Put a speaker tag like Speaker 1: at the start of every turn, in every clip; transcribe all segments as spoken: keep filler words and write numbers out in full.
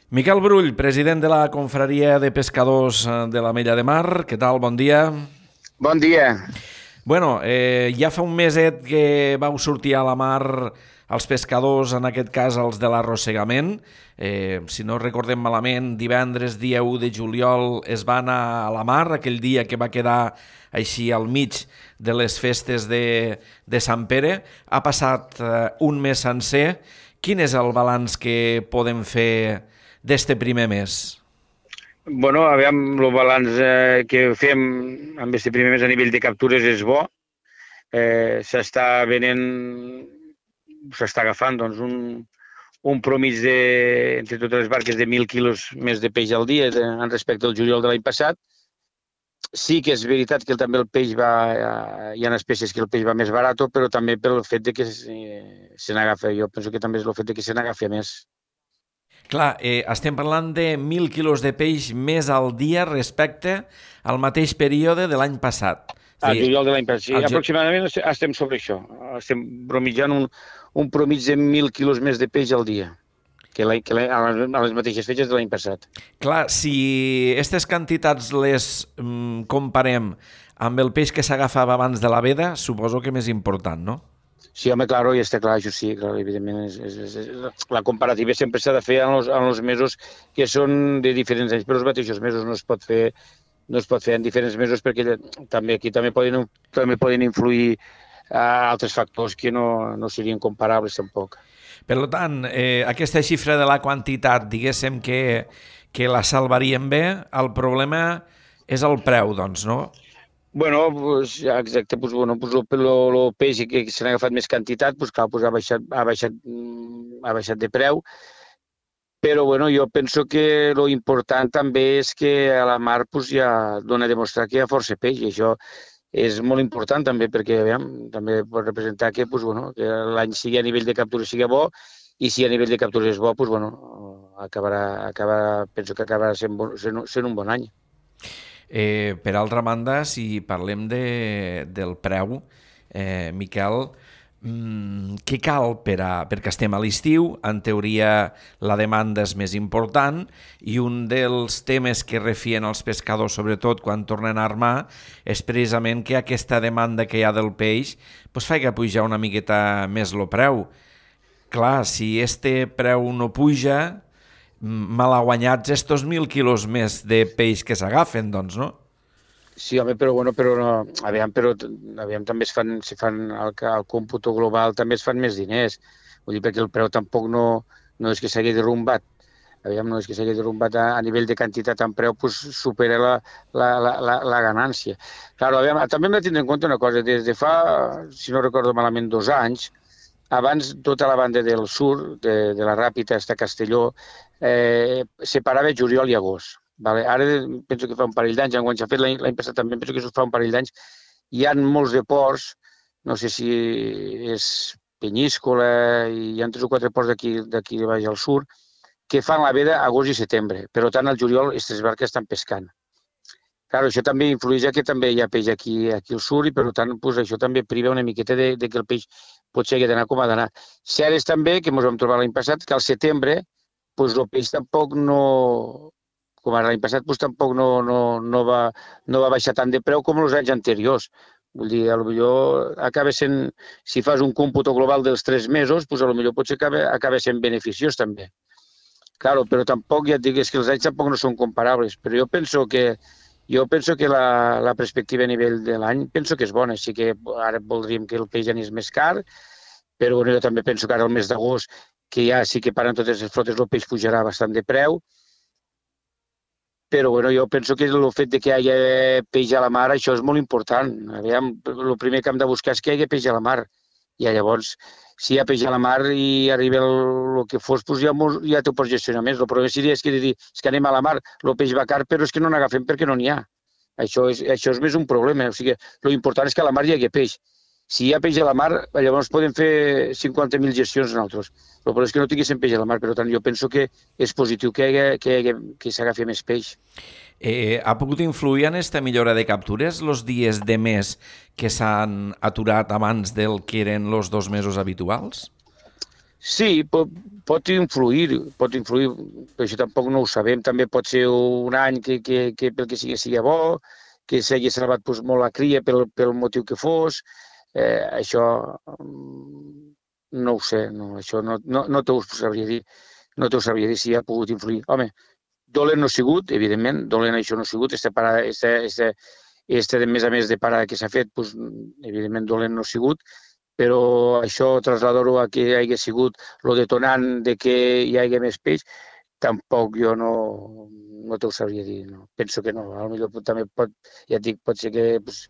Speaker 1: Miquel Brull, president de la Confraria de Pescadors de l'Ametlla de Mar. Què tal? Bon dia.
Speaker 2: Bon dia.
Speaker 1: Bueno, eh, ja fa un meset que vau sortir a la mar els pescadors, en aquest cas els de l'arrossegament. Eh, si no recordem malament, divendres, dia u de juliol, es va anar a la mar, aquell dia que va quedar així al mig de les festes de, de Sant Pere. Ha passat eh, un mes sencer. Quin és el balanç que podem fer d'este primer mes?
Speaker 2: Bueno, aviam, el balanç eh, que fem amb aquest primer mes a nivell de captures és bo. Eh, s'està venent, s'està agafant doncs, un, un promig de, entre totes les barques de mil quilos més de peix al dia de, en respecte al juliol de l'any passat. Sí que és veritat que també el peix va, hi ha espècies que el peix va més barat, però també pel fet de que se, se n'agafa. Jo penso que també és el fet de que se n'agafi més.
Speaker 1: Clar, eh, estem parlant de mil quilos de peix més al dia respecte al mateix període de l'any passat.
Speaker 2: Al juliol de l'any passat, sí,
Speaker 1: ju...
Speaker 2: aproximadament estem sobre això. Estem bromitjant un, un promig de mil quilos més de peix al dia que, que a les mateixes fetges de l'any passat.
Speaker 1: Clar, si aquestes quantitats les mm, comparem amb el peix que s'agafava abans de la veda, suposo que més important, no?
Speaker 2: Sí, home, claro, i està clar, això sí, clar, evidentment, és, és, és, la comparativa sempre s'ha de fer en els, en els mesos que són de diferents anys, però els mateixos mesos no es pot fer, no es pot fer en diferents mesos perquè també aquí també poden, també poden influir uh, altres factors que no, no serien comparables tampoc.
Speaker 1: Per tant, eh, aquesta xifra de la quantitat, diguéssim que, que la salvaríem bé, el problema és el preu, doncs, no?
Speaker 2: Bueno, pues, exacte, pues, bueno, pues, el, el peix que se n'ha agafat més quantitat, pues, clar, pues, ha, baixat, ha, baixat, ha baixat de preu, però bueno, jo penso que lo important també és que a la mar pues, ja dona a demostrar que hi ha força peix, i això és molt important també, perquè aviam, també pot representar que, pues, bueno, que l'any sigui a nivell de captura sigui bo, i si a nivell de captura és bo, pues, bueno, acabarà, acabarà, penso que acabarà sent, sent, sent un bon any.
Speaker 1: Eh, per altra banda, si parlem de, del preu, eh, Miquel, mmm, què cal per a, perquè estem a l'estiu? En teoria la demanda és més important i un dels temes que refien els pescadors, sobretot quan tornen a armar, és precisament que aquesta demanda que hi ha del peix pues, fa que pujar una miqueta més el preu. Clar, si este preu no puja, malaguanyats estos mil quilos més de peix que s'agafen, doncs, no?
Speaker 2: Sí, home, però bueno, però no, aviam, però aviam, també es fan, si fan el, el còmputo global, també es fan més diners. Vull dir, perquè el preu tampoc no, no és que s'hagi derrumbat. Aviam, no és que s'hagi derrumbat a, a nivell de quantitat en preu, pues, supera la, la, la, la, la ganància. Claro, aviam, també hem de tindre en compte una cosa, des de fa, si no recordo malament, dos anys, abans tota la banda del sud, de, de la Ràpita fins a Castelló, eh, separava juliol i agost. Vale? Ara penso que fa un parell d'anys, enguany s'ha fet l'any passat també, penso que fa un parell d'anys, hi ha molts de ports, no sé si és Penyíscola, i hi ha tres o quatre ports d'aquí d'aquí baix al sud, que fan la veda agost i setembre, però tant al juliol aquestes barques estan pescant. Claro, això també influeix que també hi ha peix aquí, aquí al sud i per tant pues, això també priva una miqueta de, de que el peix potser hagi d'anar com ha d'anar. Cert és també, que ens vam trobar l'any passat, que al setembre pues, el peix tampoc no, com ara l'any passat, pues, tampoc no, no, no, va, no va baixar tant de preu com els anys anteriors. Vull dir, potser acaba sent, si fas un còmputo global dels tres mesos, pues, potser potser acaba, acaba sent beneficiós també. Claro, però tampoc, ja et dic, és que els anys tampoc no són comparables, però jo penso que Jo penso que la, la perspectiva a nivell de l'any penso que és bona, així que ara voldríem que el peix anés més car, però bueno, jo també penso que ara el mes d'agost, que ja sí que paren totes les flotes, el peix pujarà bastant de preu, però bueno, jo penso que el fet de que hi hagi peix a la mar, això és molt important. Aviam, el primer que hem de buscar és que hi hagi peix a la mar, i llavors, si hi ha peix a la mar i arriba el, el que fos, doncs ja, ja t'ho pots gestionar més. El problema seria és que, dir, és que anem a la mar, el peix va car, però és que no n'agafem perquè no n'hi ha. Això és, això és més un problema. O sigui, l'important és que a la mar hi hagi peix. Si hi ha peix a la mar, llavors podem fer cinquanta mil gestions nosaltres. El problema és que no tinguéssim peix a la mar, per tant, jo penso que és positiu que, hi hagi, que, hi hagi, que s'agafi més peix.
Speaker 1: Eh, ha pogut influir en aquesta millora de captures els dies de mes que s'han aturat abans del que eren els dos mesos habituals?
Speaker 2: Sí, pot, pot influir, pot influir, però això tampoc no ho sabem. També pot ser un any que, que, que pel que sigui sigui bo, que s'hagi salvat doncs, molt la cria pel, pel motiu que fos. Eh, això mm, no ho sé, no, això no, no, no t'ho sabria dir. No t'ho sabria dir si ha pogut influir. Home, dolent no ha sigut, evidentment, dolent això no ha sigut. Este, parada, este, este, este de més a més de parada que s'ha fet, doncs, evidentment dolent no ha sigut, però això traslladar-ho a que hi hagi sigut el detonant de que hi hagi més peix, tampoc jo no, no t'ho sabria dir. No. Penso que no. A lo millor també pot, ja et dic, pot ser que pues,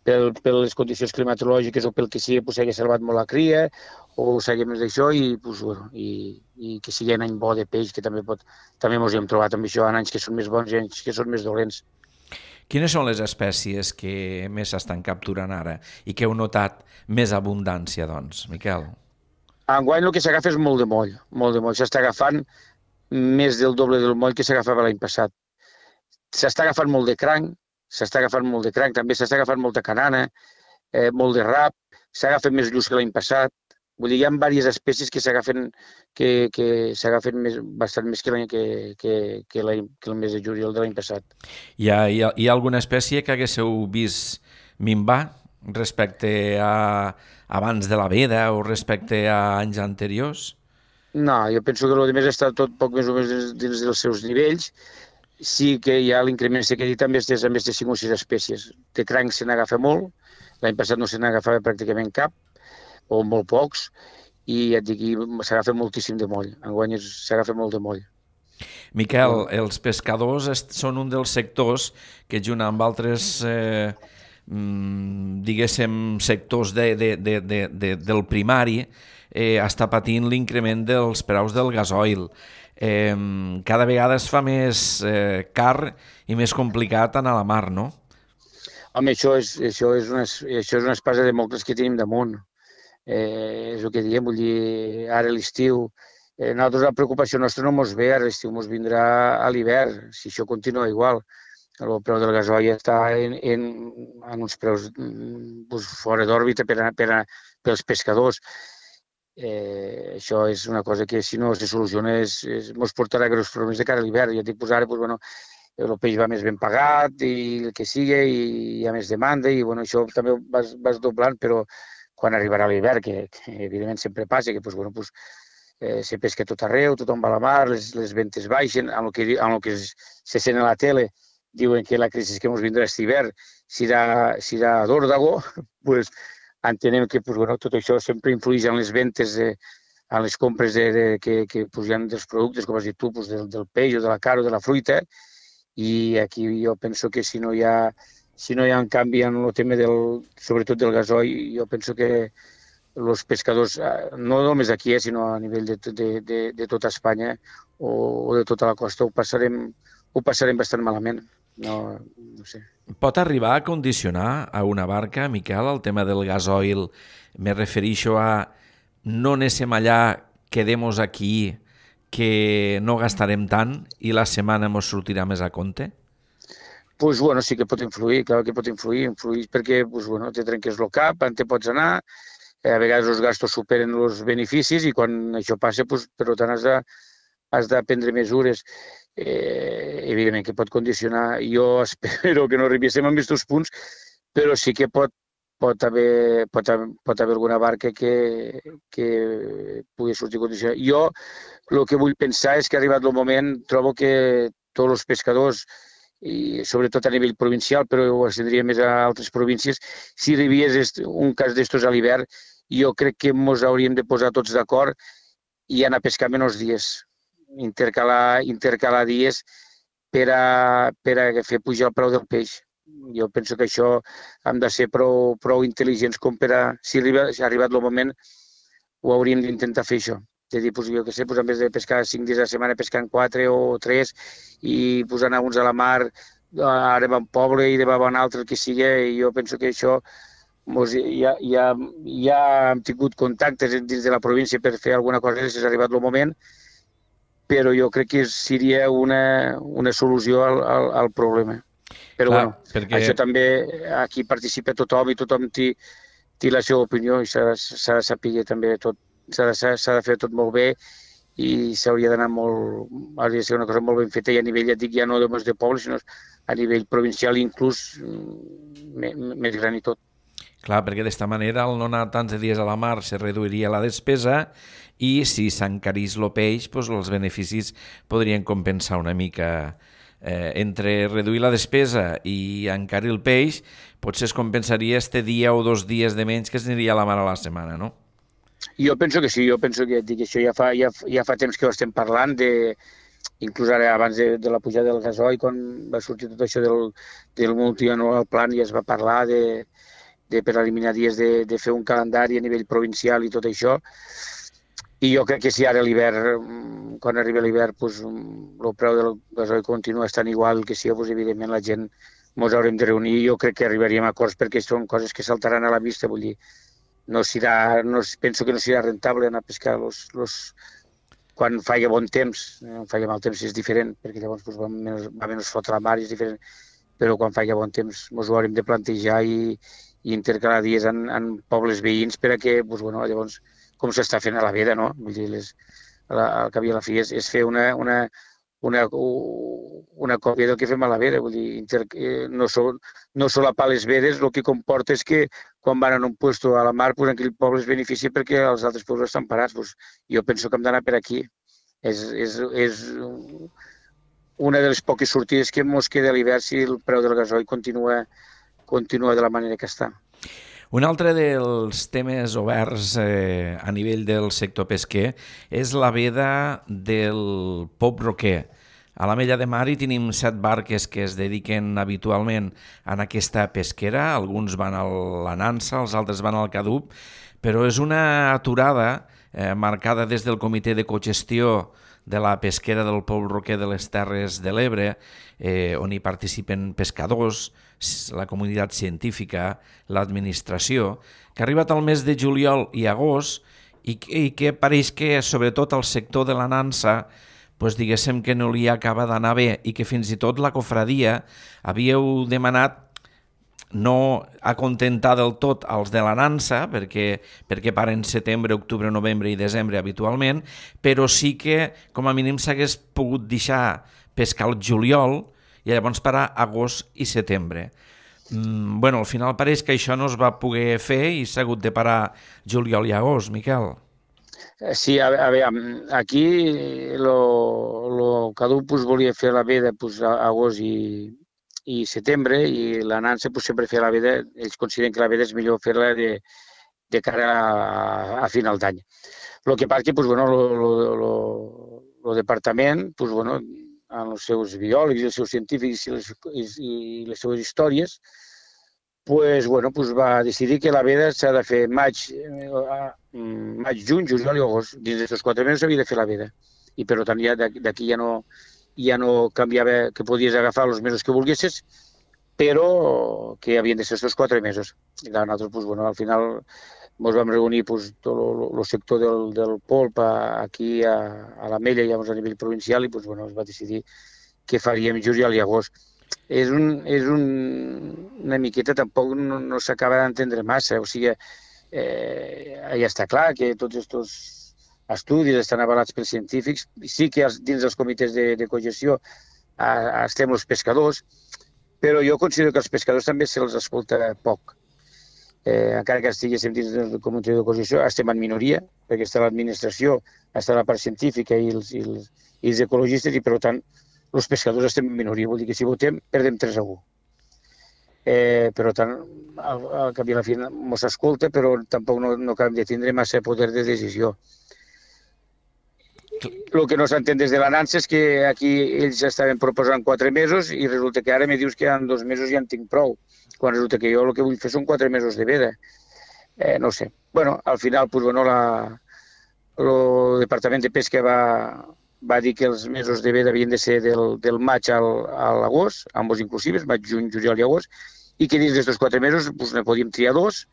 Speaker 2: pel, per les condicions climatològiques o pel que sigui pues, s'hagi salvat molt la cria o s'hagi més d'això i, pues, bueno, i, i que sigui un any bo de peix, que també pot, també ens hi hem trobat amb això, en anys que són més bons i anys que són més dolents.
Speaker 1: Quines són les espècies que més s'estan capturant ara i que heu notat més abundància, doncs, Miquel?
Speaker 2: Enguany el que s'agafa és molt de moll, molt de moll. S'està agafant més del doble del moll que s'agafava l'any passat. S'està agafant molt de cranc, s'està agafant molt de cranc, també s'està agafant molta canana, eh, molt de rap, s'agafen més lluç que l'any passat. Vull dir, hi ha diverses espècies que s'agafen que, que s'agafen més, bastant més que, l'any, que, que, que, que el mes de juliol de l'any passat.
Speaker 1: Hi ha, hi, ha, hi ha alguna espècie que haguéssiu vist minvar respecte a abans de la veda o respecte a anys anteriors?
Speaker 2: No, jo penso que el més està tot poc més o menys dins, dins dels seus nivells. Sí que hi ha l'increment que he dit també és a més de cinc o sis espècies. De cranc se n'agafa molt, l'any passat no se n'agafava pràcticament cap, o molt pocs, i ja et dic, s'agafa moltíssim de moll. Enguany s'agafa molt de moll.
Speaker 1: Miquel, els pescadors són un dels sectors que junt amb altres eh, diguéssim sectors de, de, de, de, de, del primari eh, està patint l'increment dels preus del gasoil. Eh, cada vegada es fa més eh, car i més complicat anar a la mar, no?
Speaker 2: Home, això és, això és, una, això és una espasa de mocles que tenim damunt. Eh, és el que diem, vull dir, ara l'estiu, eh, nosaltres la preocupació nostra no mos ve, ara l'estiu mos vindrà a l'hivern, si això continua igual. El preu del gasoil està en, en, en uns preus pues, fora d'òrbita per, a, per a, pels pescadors. Eh, això és una cosa que si no se soluciona és, és, mos portarà greus problemes de cara a l'hivern. Ja et dic, pues, ara pues, bueno, el peix va més ben pagat i el que sigui, i hi ha més demanda i bueno, això també vas, vas doblant, però quan arribarà l'hivern, que, que evidentment sempre passa, que pues, bueno, pues, eh, se pesca tot arreu, tothom va a la mar, les, les ventes baixen, amb el que, amb el que se sent a la tele, diuen que la crisi que ens vindrà aquest hivern serà, serà d'òrdago, pues, entenem que pues, bueno, tot això sempre influeix en les ventes, eh, en les compres de, de, que, que pues, hi ha dels productes, com has dit tu, pues, del, del peix o de la carn o de la fruita, i aquí jo penso que si no hi ha si no hi ha un canvi en el tema del, sobretot del gasoil, jo penso que els pescadors, no només aquí, eh, sinó a nivell de, de, de, de tota Espanya o, o de tota la costa, ho passarem, ho passarem bastant malament. No, no sé.
Speaker 1: Pot arribar a condicionar a una barca, Miquel, el tema del gasoil? Me refereixo a no anem allà, quedemos aquí, que no gastarem tant i la setmana ens sortirà més a compte?
Speaker 2: Pues bueno, sí que pot influir, clar que pot influir, influir perquè pues, bueno, te trenques el cap, on te pots anar, eh, a vegades els gastos superen els beneficis i quan això passa, pues, per tant, has de, has de prendre mesures. Eh, evidentment que pot condicionar. Jo espero que no arribéssim a aquests punts, però sí que pot, pot, haver, pot, haver, pot haver alguna barca que, que pugui sortir condicionada. Jo el que vull pensar és que ha arribat el moment, trobo que tots els pescadors i sobretot a nivell provincial, però ho estendria més a altres províncies, si arribés un cas d'estos a l'hivern, jo crec que ens hauríem de posar tots d'acord i anar a pescar menys dies, intercalar, intercalar dies per a, per a fer pujar el preu del peix. Jo penso que això hem de ser prou, prou intel·ligents com per a, si, arriba, si ha arribat el moment, ho hauríem d'intentar fer això. De dir, pues, jo què sé, pues, en vez de pescar cinc dies a la setmana, pescant quatre o tres i pues, anar uns a la mar, ara va un poble i demà va un altre, el que sigui, i jo penso que això mos, ja, ja, ja hem tingut contactes dins de la província per fer alguna cosa, si ha arribat el moment, però jo crec que seria una, una solució al, al, al problema. Però
Speaker 1: Clar,
Speaker 2: bueno, perquè això també, aquí participa tothom i tothom té, té la seva opinió i s'ha de saber també tot. s'ha de, s'ha de fer tot molt bé i s'hauria d'anar molt, hauria de ser una cosa molt ben feta i a nivell, ja et dic, ja no només de poble, sinó a nivell provincial inclús més gran i tot.
Speaker 1: Clar, perquè d'esta manera, al no anar tants de dies a la mar, se reduiria la despesa i si s'encarís el peix, doncs els beneficis podrien compensar una mica. Eh, entre reduir la despesa i encarir el peix, potser es compensaria este dia o dos dies de menys que s'aniria a la mar a la setmana, no?
Speaker 2: Jo penso que sí, jo penso que dic, això ja fa, ja, ja fa temps que ho estem parlant, de, inclús ara abans de, de la pujada del gasoil, quan va sortir tot això del, del multianual plan, ja es va parlar de, de per eliminar dies de, de fer un calendari a nivell provincial i tot això. I jo crec que si ara l'hivern, quan arriba l'hivern, doncs, el preu del gasoil continua estant igual que si, doncs, evidentment la gent ens haurem de reunir. Jo crec que arribaríem a acords perquè són coses que saltaran a la vista, vull dir, no serà, no, penso que no serà rentable anar a pescar los, los, quan faci bon temps. Quan faci mal temps és diferent, perquè llavors doncs, va, menys, va menys fotre la mar, és diferent, però quan faci bon temps ens ho haurem de plantejar i, i intercalar dies en, en pobles veïns per a que, doncs, bueno, llavors, com s'està fent a la Veda, no? Vull dir, les, al cap i a la fi és, és fer una, una, una, una còpia del que fem a la Veda, vull dir, inter, no, sol, no solapar les vedes, el que comporta és que quan van en un puesto a la mar, pues, aquell poble es beneficia perquè els altres pobles estan parats. Pues, jo penso que hem d'anar per aquí. És, és, és una de les poques sortides que ens queda a l'hivern si el preu del gasoil continua, continua de la manera que està.
Speaker 1: Un altre dels temes oberts eh, a nivell del sector pesquer és la veda del Pop Roquer. A l'Ametlla de Mar hi tenim set barques que es dediquen habitualment a aquesta pesquera. Alguns van a la Nansa, els altres van al Cadup, però és una aturada eh, marcada des del Comitè de Cogestió de la pesquera del Pop Roquer de les Terres de l'Ebre, eh, on hi participen pescadors, la comunitat científica, l'administració, que ha arribat al mes de juliol i agost i, i que pareix que, sobretot al sector de la Nansa, pues, diguéssim que no li acaba d'anar bé i que fins i tot la cofradia havíeu demanat no acontentar del tot els de la Nansa, perquè, perquè paren setembre, octubre, novembre i desembre habitualment, però sí que com a mínim s'hagués pogut deixar pescar el juliol i llavors parar agost i setembre. Mm, bueno, al final pareix que això no es va poder fer i s'ha hagut de parar juliol i agost, Miquel.
Speaker 2: Sí, a, a veure, aquí el Cadup pues, volia fer la veda pues, a agost i, i setembre i la Nansa pues, sempre feia la veda, ells consideren que la veda és millor fer-la de, de cara a, a final d'any. El que passa que pues, bueno, el departament, pues, bueno, amb els seus biòlegs i els seus científics i les, i, i les seves històries, pues, bueno, pues, va decidir que la veda s'ha de fer maig, maig, juny, juliol i agost. Dins d'aquests quatre mesos s'havia de fer la veda. I per tant ja d'aquí ja no, ja no canviava, que podies agafar els mesos que volguessis, però que havien de ser aquests quatre mesos. I nosaltres, pues, bueno, al final ens vam reunir pues, tot el sector del, del polp aquí a, a l'Ametlla i a nivell provincial i pues, bueno, es va decidir que faríem juliol i agost. És, un, és un, una miqueta, tampoc no, no s'acaba d'entendre massa, o sigui, eh, ja està clar que tots aquests estudis estan avalats pels científics, sí que els, dins dels comitès de, de cogestió a, estem els pescadors, però jo considero que els pescadors també se'ls escolta poc. Eh, encara que estiguéssim dins del comitè de cogestió, estem en minoria, perquè està l'administració, està la part científica i els, i els, i els ecologistes, i per tant, els pescadors estem en minoria, vol dir que si votem, perdem tres a u. Eh, per tant, al, al cap i a la fi mos escolta, però tampoc no, no acabem de tindre massa poder de decisió. El que no s'entén des de la Nansa és que aquí ells estaven proposant quatre mesos i resulta que ara me dius que en dos mesos ja en tinc prou, quan resulta que jo el que vull fer són quatre mesos de veda. Eh, no sé. Bueno, al final, pues, bueno, la, el Departament de Pesca va, va dir que els mesos de veda havien de ser del, del maig al, a l'agost, ambos inclusives, maig, juny, juliol i agost, i que dins d'aquests quatre mesos pues, ne podíem triar dos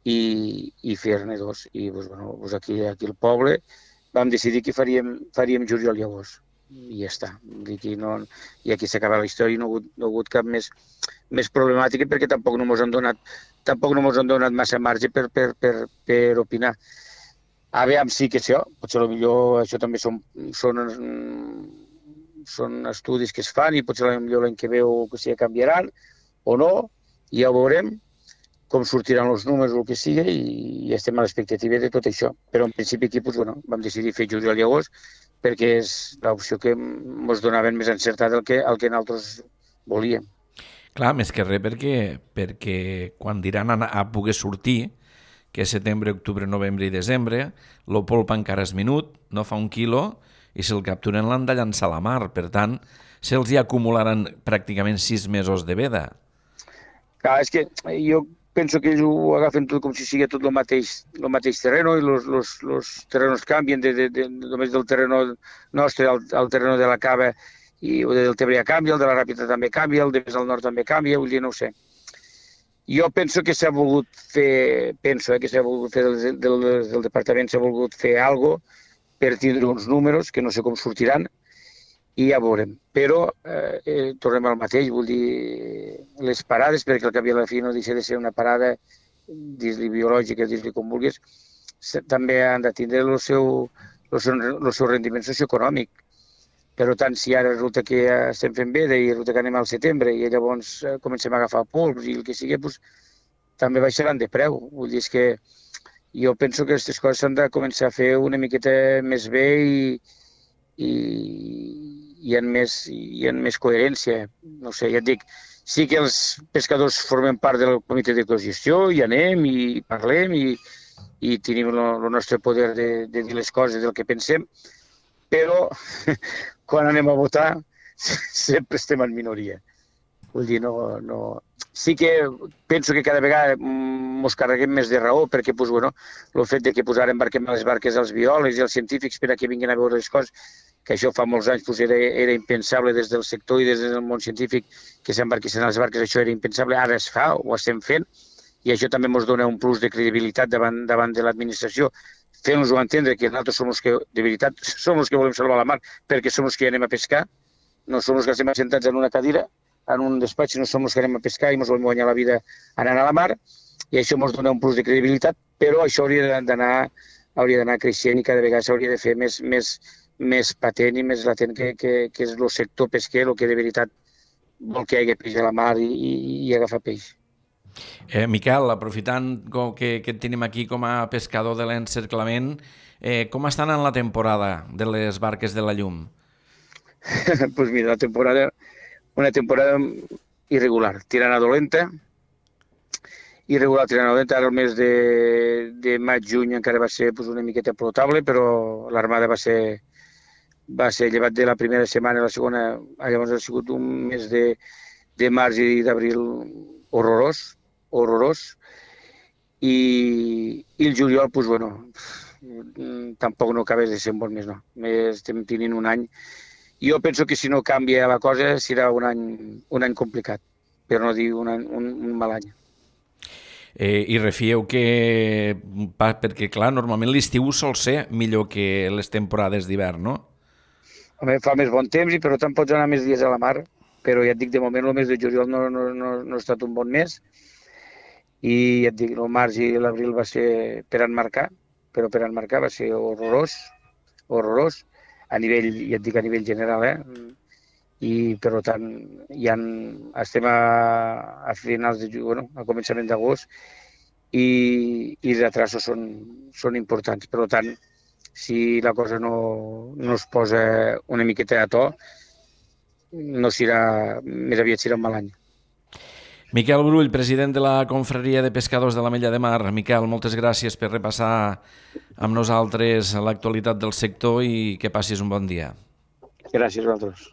Speaker 2: i, i fer-ne dos. I pues, bueno, pues aquí, aquí al poble vam decidir que faríem, faríem juliol i agost. I ja està. Aquí no, I aquí s'acaba la història i no ha hagut, no ha hagut cap més, més problemàtica perquè tampoc no mos han donat, tampoc no mos han donat massa marge per, per, per, per opinar. Aviam, sí que això, potser millor això també són, són, són estudis que es fan i potser millor l'any que ve o que sigui canviaran o no, i ja ho veurem com sortiran els números o el que sigui i, i estem a l'expectativa de tot això. Però en principi aquí doncs, bueno, vam decidir fer juliol i agost perquè és l'opció que ens donaven més encertada el que, el que nosaltres volíem.
Speaker 1: Clar, més que res perquè, perquè quan diran a, a poder sortir, que és setembre, octubre, novembre i desembre, el polpa encara és minut, no fa un quilo, i si el capturen l'han de llançar a la mar. Per tant, se'ls hi acumularan pràcticament sis mesos de veda.
Speaker 2: Clar, és que jo penso que ells ho agafen tot com si sigui tot el mateix, el mateix terreno i els terrenos canvien, de, de, de, només del terreno nostre al, al terreno de la Cava i el del Tebre canvia, el de la Ràpita també canvia, el de més al nord també canvia, vull dir, no ho sé. Jo penso que s'ha volgut fer, penso eh, que s'ha volgut fer del, del, del departament, s'ha volgut fer alguna cosa per tindre uns números que no sé com sortiran i ja veurem. Però eh, eh, tornem al mateix, vull dir, les parades, perquè al cap i a la fi no deixa de ser una parada, dis-li biològica, dis-li com vulguis, també han de tindre el seu, el seu, el seu rendiment socioeconòmic. Per tant, si ara resulta que ja estem fent veda i resulta que anem al setembre i llavors comencem a agafar pols i el que sigui, doncs, també baixaran de preu. Vull dir, és que jo penso que aquestes coses s'han de començar a fer una miqueta més bé i, i, i, en més, i en més coherència. No sé, ja et dic, sí que els pescadors formem part del comitè de cogestió, hi anem i parlem i, i tenim el nostre poder de, de dir les coses del que pensem, però quan anem a votar sempre estem en minoria. Vull dir, no, no... Sí que penso que cada vegada ens carreguem més de raó perquè pues, bueno, el fet de que pues, ara embarquem a les barques els biòlegs i els científics per a que vinguin a veure les coses, que això fa molts anys pues, era, era impensable des del sector i des del món científic que s'embarquessin a les barques, això era impensable, ara es fa, ho estem fent, i això també ens dona un plus de credibilitat davant, davant de l'administració, fent-nos-ho entendre que nosaltres som els que, de veritat, som els que volem salvar la mar perquè som els que anem a pescar, no som els que estem assentats en una cadira, en un despatx, no som els que anem a pescar i ens volem guanyar la vida anant a la mar, i això ens dona un plus de credibilitat, però això hauria d'anar hauria d'anar creixent i cada vegada s'hauria de fer més, més, més patent i més latent que, que, que és el sector pesquer, el que de veritat vol que hi hagi peix a la mar i, i, i agafar peix.
Speaker 1: Eh, Miquel, aprofitant que, que et tenim aquí com a pescador de l'encerclament, eh, com estan en la temporada de les barques de la llum?
Speaker 2: Doncs pues mira, la temporada, una temporada irregular, tirant a dolenta, irregular tirant a dolenta, ara el mes de, de maig-juny encara va ser pues, una miqueta potable, però l'armada va ser, va ser llevat de la primera setmana, la segona, llavors ha sigut un mes de, de març i d'abril horrorós, horrorós, i, i el juliol, doncs, bueno, tampoc no acabes de ser un bon mes, no. Estem tenint un any. Jo penso que si no canvia la cosa serà un any, un any complicat, per no dir un, any, un, un mal any.
Speaker 1: Eh, I refieu que, perquè clar, normalment l'estiu sol ser millor que les temporades d'hivern, no?
Speaker 2: Home, fa més bon temps i per tant pots anar més dies a la mar, però ja et dic, de moment el mes de juliol no, no, no, no ha estat un bon mes i ja et dic, el març i l'abril va ser per enmarcar, però per enmarcar va ser horrorós, horrorós, a nivell, ja et dic, a nivell general, eh? I per tant, ja estem a, a finals de juny, bueno, a començament d'agost i, i els atrasos són, són importants. Per tant, si la cosa no, no es posa una miqueta a to, no serà, més aviat serà un mal any.
Speaker 1: Miquel Brull, president de la Confraria de Pescadors de l'Ametlla de Mar. Miquel, moltes gràcies per repassar amb nosaltres l'actualitat del sector i que passis un bon dia.
Speaker 2: Gràcies a vosaltres.